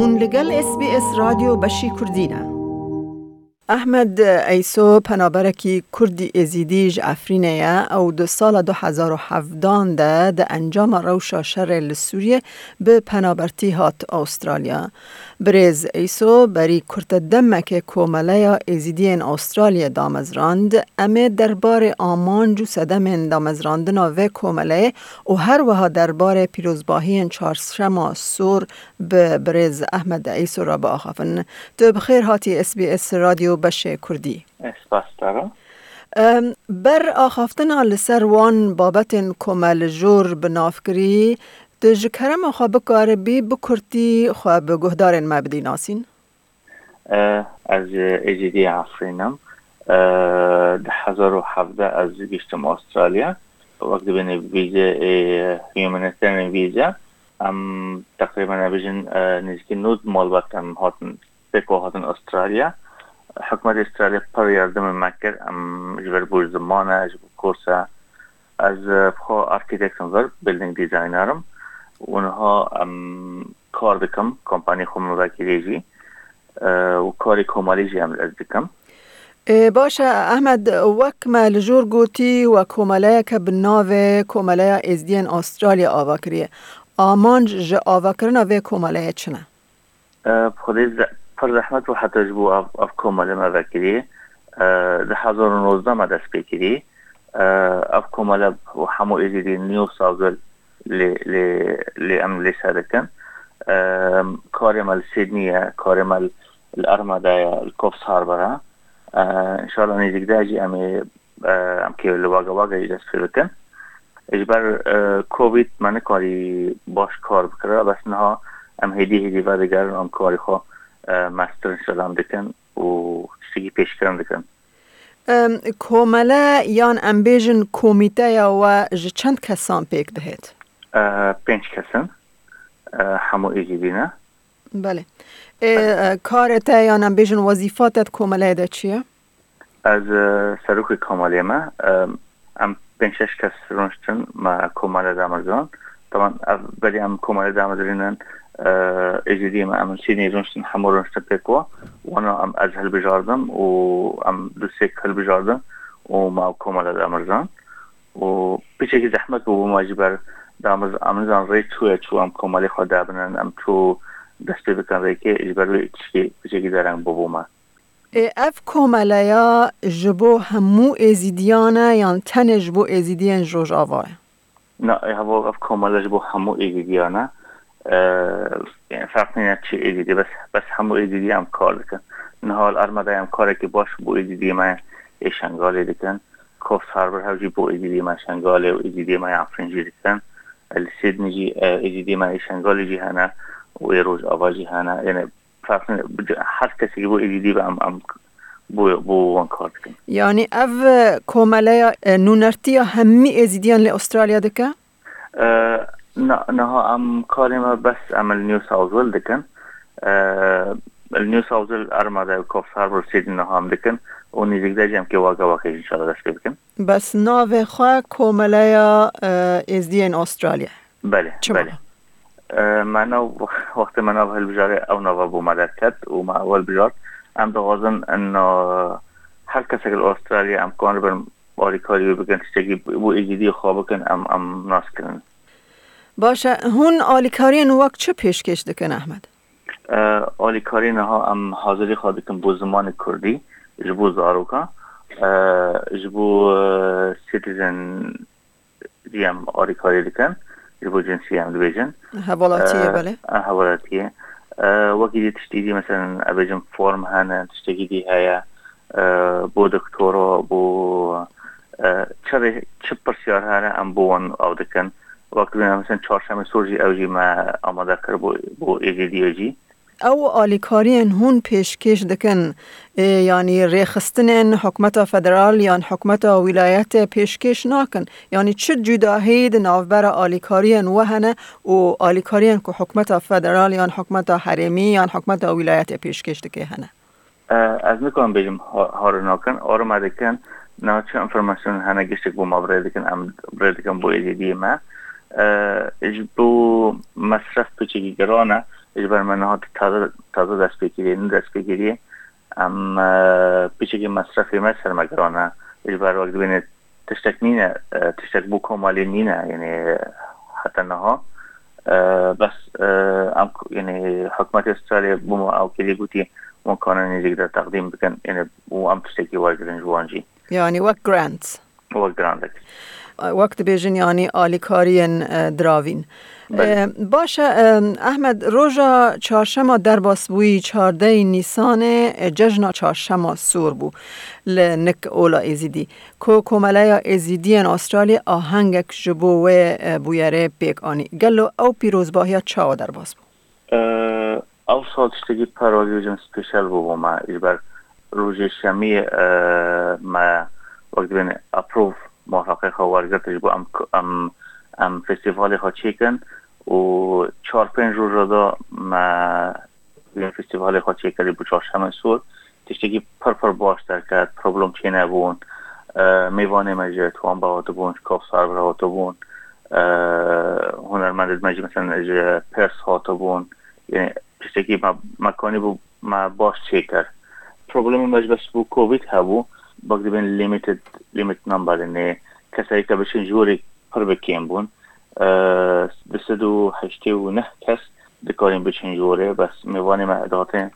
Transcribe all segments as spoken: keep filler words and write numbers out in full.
Hûn li gel S B S Radyo Beşî Kurdî ne. Ehmed Eyso penaberekî Kurdî Êzîdî ji Efrînê ye. Ew di sala du hezar û hevdan de di encama rewşa şerê li Sûriyê bi penabertî hat Astralya. Birêz Eyso berî kurte demekê Komeleya Êzîdiyên Astraliyê damezrand. Em ê derbarê amanc û sedemên damezrandina vê komeleyê û her wiha derbarê pîrozbahiyên Çarşema Sor bi birêz Ehmed Eyso re biaxafin. Tu bi xêr hatî S B S Radyo Beşê Kurdî. Ez spas dixwazim. Em, ber axaftina li ser wan babetên ku me li jor bi nav kirî, tu ji kerema xwe bikaribî bi kurtî xwe bi guhdarên me bidî nasîn? Eh, ez ji Êzîdiyê Efrîn im. Eh, du hezar û hevdeh ez gihiştim Astralya. Wek dibêjin vîze, eh, humanitarian vîze. Em teqrîben, em bêjin, eh, nêzîkî nod malbat em hatin, pêk hatin Astralya. Hikûmetê Astralya pir yardimê me kir. Em ji ber bo ziman e, ji bo kors e. Ez, eh, bi xwe architect im, vir building designer im. Û niha em kar dikim, kompanî xwe min vekirî jî. Eh, û karê komelî jî em ez dikim. Ê, baş e, Ehmed, wek me li jor gotî, we komeleyeke bi navê Komeleya Êzdiyên Astralya ava kiriye. Amanc ji avakirina vê komeleyê çi ne? Eh, bi xwedê ze-, pir zehmet bû heta ji bo ev, ev komele me vekirî. Eh, du hezar û nozdeh me dest pê kirî. Eh, ev komele û hemû Êzîdî New South Wales lê, lê, lê em lê ser dikin. Em, karê me li Sydney ye, karê me li, li Armada ye, li Coffs Harbour e. Eh, înşallah nêzîk de jî em ê, eh, em kê li Wagga Wagga jî dest pê bikin. Ji ber, eh, Covid me nikarî baş kar bikira, bes niha em hêdî hêdî vedigerin, em karê xwe, eh, mestir înşallah em dikin û tiştekî pêşkirin dikin. Em, komele yan em bêjin komîteya we ji çend kesan pêk dihêt? Eh, pênc kes in. Eh, hemû Êzîdî ne. Belê. Ê, Belê. E, karê te yan em bêjin wezîfa te di komeleyê de çi ye? Ez, e, serokê komelê me. E, em pênc şeş kes rûniştin, me komele damezrand. Teban ev berî em komele damezrînin, e, Êzîdiyê me em li Sydney rûniştin, hemû rûniştin pêk wa. Wana em ez hilbijardim û em du sêk hilbijardin û me ew komele damezrand. Û piçekî zehmet bû bû me ji ber damiz, em nizan rê çûye çû em komelê xwe dabinin, em çû dest pê bikin rêkê, ji ber wê tişkê piçekî dereng bû bû me. Ê, ev komeleya ji bo hemû Êzîdiyan e yan tenê ji bo Êzîdiyên ji Rojava ye? Na, ê, heva ev komele ji bo hemû Êzîdiyan e. E, yani, ferq nîne çi Êzîdî, bes, bes hemû Êzîdî em kar dikin. Niha li Armada em karekî baş bo Êzîdiyê me yê Şengalê dikin. Coffs Harbour hev jî bo Êzîdiyê me Şengalê û Êzîdiyê me yê Efrîn jî dikin. Li Sydney jî, e, Êzîdiyê me yê Şengalê jî hene û ê Rojava jî hene. Yani, Her kesekî bo Êzîdî be em, em bo, bo wan kar dikin. Yanî ev, e, komeleya, e, nûnertiya hemî Êzîdiyan li Astralya dike? E, na, niha em karê me bes em li New South Wales dikin. E, li New South Wales, Armada û Coffs Harbour, Sydney niha em dikin. Û nêzîk de jî em kê Wagga Wagga jî înşallah dest pê bikin. Bes navê xwe Komeleya, e, Êzdiyên Astralya. Belê, Çima? Belê. E, me nav, wextê me nav hilbijarê ew nava bo me derket û me ew hilbijart. Em dixwazin in, e, her kesek li Astralya em karibin alîkarî wê bikin, tiştekî bo Êzîdiyê xwe bikin, em, em nas kirin. Baş e, hûn alîkariyên wek çi pêşkêş dikin, Ehmed? E, alîkarî niha em hazirî xwe dikin bo zimanê kurdî, ji bo zaroka, e, ji bo, e, citizen jî em alîkarî dikin, ji bo cinsî em dibêjin. Hevalatiyê, E, belê. e, hevalatiyê. E, wekî dî tiştî dî, meselen, em bêjin form hene, tiştekî dî heye, e, bo doktora, bo, e, çi rê, çi pirsyar hene, em bo wan av dikin. Wek dibêjin, meselen, Çarşemê Sor jî ew jî me amade kir bo, bo Êzîdiyê jî. Ew alîkariyên hûn pêşkêş dikin, ê, yanî rêxistinên hikûmeta federal yan hikûmeta wîlayetê pêşkêş nakin? Yanî çi cudahî di navbera alîkariyên we hene û alîkariyên ku hikûmeta federal yan hikûmeta herêmî yan hikûmeta wîlayetê pêşkêş dike hene? E, ez nikarim bêjim ha-, har nakin, har me dikin, niha çi înformasyon hene giştek bo me bi rê dikin, em bi rê dikin bo Êzîdiyê me. E, ji bo mesref piçekî giran e, Ji ber me niha taze, taze dest pê kiriye, nû dest pê kiriye. Em, e, piçekî mesrefê me ser me giran e. Ji ber wek dibêne tiştek nîne, e, tiştek bo komelê nîne, yani heta niha. E, bes, e, em, yani hikûmetê Australya bo me ew kiriye, gotî hûn kanin nêzîk de teqdîm bikin, yani û em tiştekî wergirin ji wan jî. Yani wek grant. Wek grant. Wek dibêjin, yanî alîkariyên, e, diravîn. Belê. E, baş e, e, Ehmed, roja çarşema derbasbûyî çardeyê Nîsanê, e, cejna çarşema sor bû li nik ola Êzîdî. Ku Komeleya Êzîdiyên Australya ahengek ji bo wê, e, bûyerê pêk anî. Gelo ew pîrozbahiya çawa derbas bû? Ew sal tiştekî pir wek dibêjin special bû bo me. Ji ber rojê şemiyê, e, me wek dibên approve, muwafeqê xwe wergirt ji bo em, em, em festîvalê xwe çêkin û çar pênc roja de me festîvalê xwe çêkirî bo çarşemê sor. Tiştekî pir pir baş derket, problem çênebûn. E, mêvanê me ji Tuanbe hatibûn, ji Kafsar ve hatibûn. E, hunermendê me jî mesela ji Perth hatibûn. Yani tiştekî me, me kanîbû me baş çêkir. Problemê me ji bes bo Covid hebû. Wek dibên limited, limit number, yani kesayî ke biçin jorê pir bi kêm bûn. E, du sed û heştê û neh kes dikarîn biçin jorê, bes mêvanê me dihatin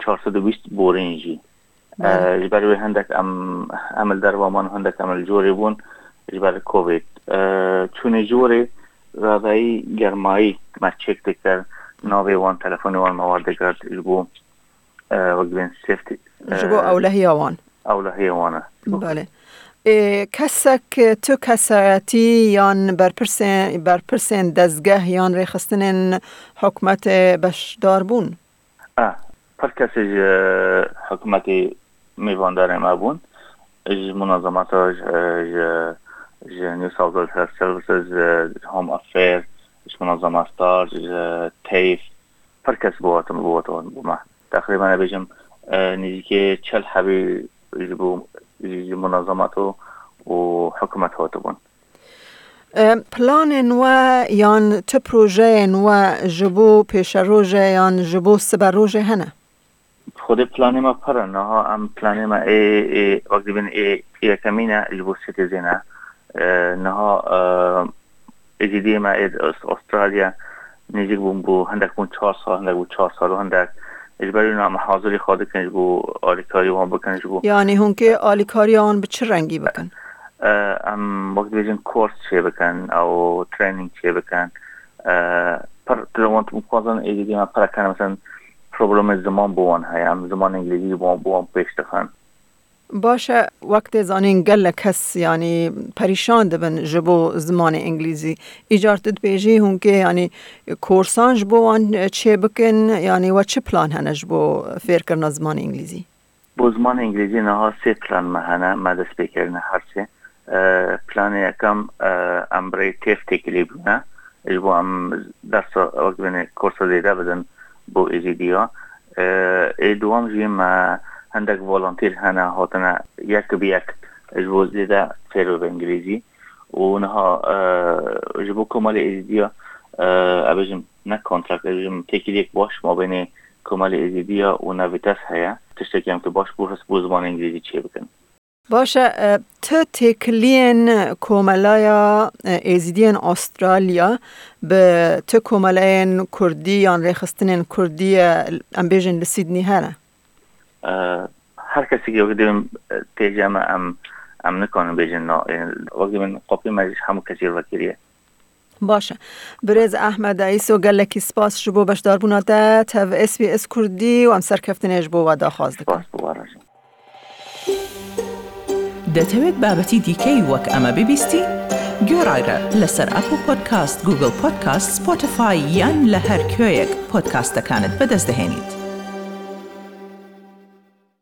çar sed û bîst borîn jî. Belê. E, ji ber wê hindek em, em li derve man, hindek em li jorê bûn ji ber Covid. E, çûnê jorê radayî germayî me çek dikir, navê wan, telefonê wan me werdigirt ji bo, e, wek dibên safety, Ji bo e, ewlehiya wan. Ewlehiya wan e. Belê. Ê, kesek, tu kesayetî yan berpirsên, berpirsên dezgeh yan rêxistinên hikûmetê beşdar bûn? E, pir kesê ji hikûmetê mêvandarê me bûn. Ji munezemata, ji, ji, ji New South Wales Health Services, ji Home Affairs, ji munezema Star, ji TAFE, pir kes bo hatin, bo hatin bo me. Teqrîben bêjim, e, nêzîkî çil hebî ji bo, ji, ji munezemata û hikûmet hatibûn. E, planên we yan tu projeyên we ji bo pêşerojê yan ji bo siberojê hene? Xwedê planê me pir e. Niha em planê me ê, ê, wek dibên ê yekemîn e ji bo citizen e. E, niha, e, êzîdiyê me ê Aus-, Australya nêzîk bûn, bû hindek bûn çar sal, hindek bû çar sal û hindek. Ji ber wî em hazirî xwe dikin ji bo alîkarî wan bikin ji bo. Yanî hûn kê alîkariya wan bi çi rengî bikin? E, em wek dibêjin kors çê bikin, ew training çê bikin. E, pir, tu wan dixwazin êdî me pir kene, mesela problemê ziman bo wan heye, em ziman îngilîzî bo wan, bo wan pêş dixin. Baş e, wek tê zanîn gelek kes, yanî perîşan dibin ji bo zimanê îngilîzî. Îcar tu dibêjî hûn kê, yanî korsan ji bo wan çê bikin, yanî we çi plan hene ji bo fêrkirina zimanê îngilîzî? Bo zimanê îngilîzî niha sê plan me hene, me dest pê kirine her sê. E, planê yekem, e, em bi rêyê TAFE têkilî bûne. Ji bo em dersa, wek dibêne, korsa zêde bidin bo êzîdiya. E, ê duwam jî me hindek volontîr hene, hatine yek bi yek ji bo zêde fêr bibe îngilîzî. Û niha, e, ji bo komelê êzîdiya, e, ez bêjim ne kontrakt, ez bêjim têkiliyek baş mabênê komelê êzîdiya û Navitas heye. Tiştekî em ki baş bû, hest bo zimanê îngilîzî çê bikin. Baş e, e, tu têkiliyên Komelaya, e, Êzidiyên Australya bi tu komeleyên Kurdî yan rêxistinên Kurdî, e, em bêjin li Sydney hene? E, her kesekî wek dibên, e, têce me em, em nikarin bêjin na. E, wek dibên qopî me ji hemû kesî vekiriye. Baş e. Birêz Ehmed Eyso, gelekî spas ji bo beşdarbûna te tev S B S Kurdî û em serkeftinê ji bo we daxwaz dikin. Spas bo we re jî. دەتەوێت بابەتی دیکەی وەک ئەمە ببیستی؟ گوێڕایرە لەسەر ئەپڵ پۆدکاست، گوگڵ پۆدکاست، سپۆتیفای یان لە هەر کوێیەک پۆدکاستەکانت بەدەست دەهێنیت.